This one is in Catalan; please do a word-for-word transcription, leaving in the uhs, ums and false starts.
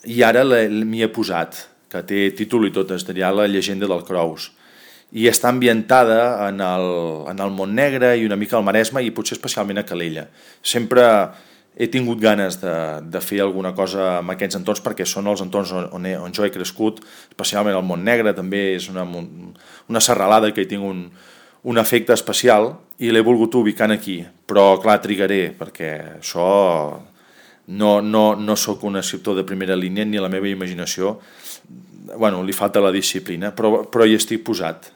i ara m'hi he posat, que té títol i tot, es diria La llegenda del Crous, i està ambientada en el, en el Montnegre i una mica al Maresme i potser especialment a Calella. Sempre he tingut ganes de, de fer alguna cosa amb aquests entorns perquè són els entorns on, he, on jo he crescut, especialment el Montnegre, també és una, una serralada que hi tinc un, un efecte especial i l'he volgut ubicar aquí, però clar, trigaré perquè això no, no, no sóc un escriptor de primera línia ni la meva imaginació, bueno, li falta la disciplina, però, però hi estic posat.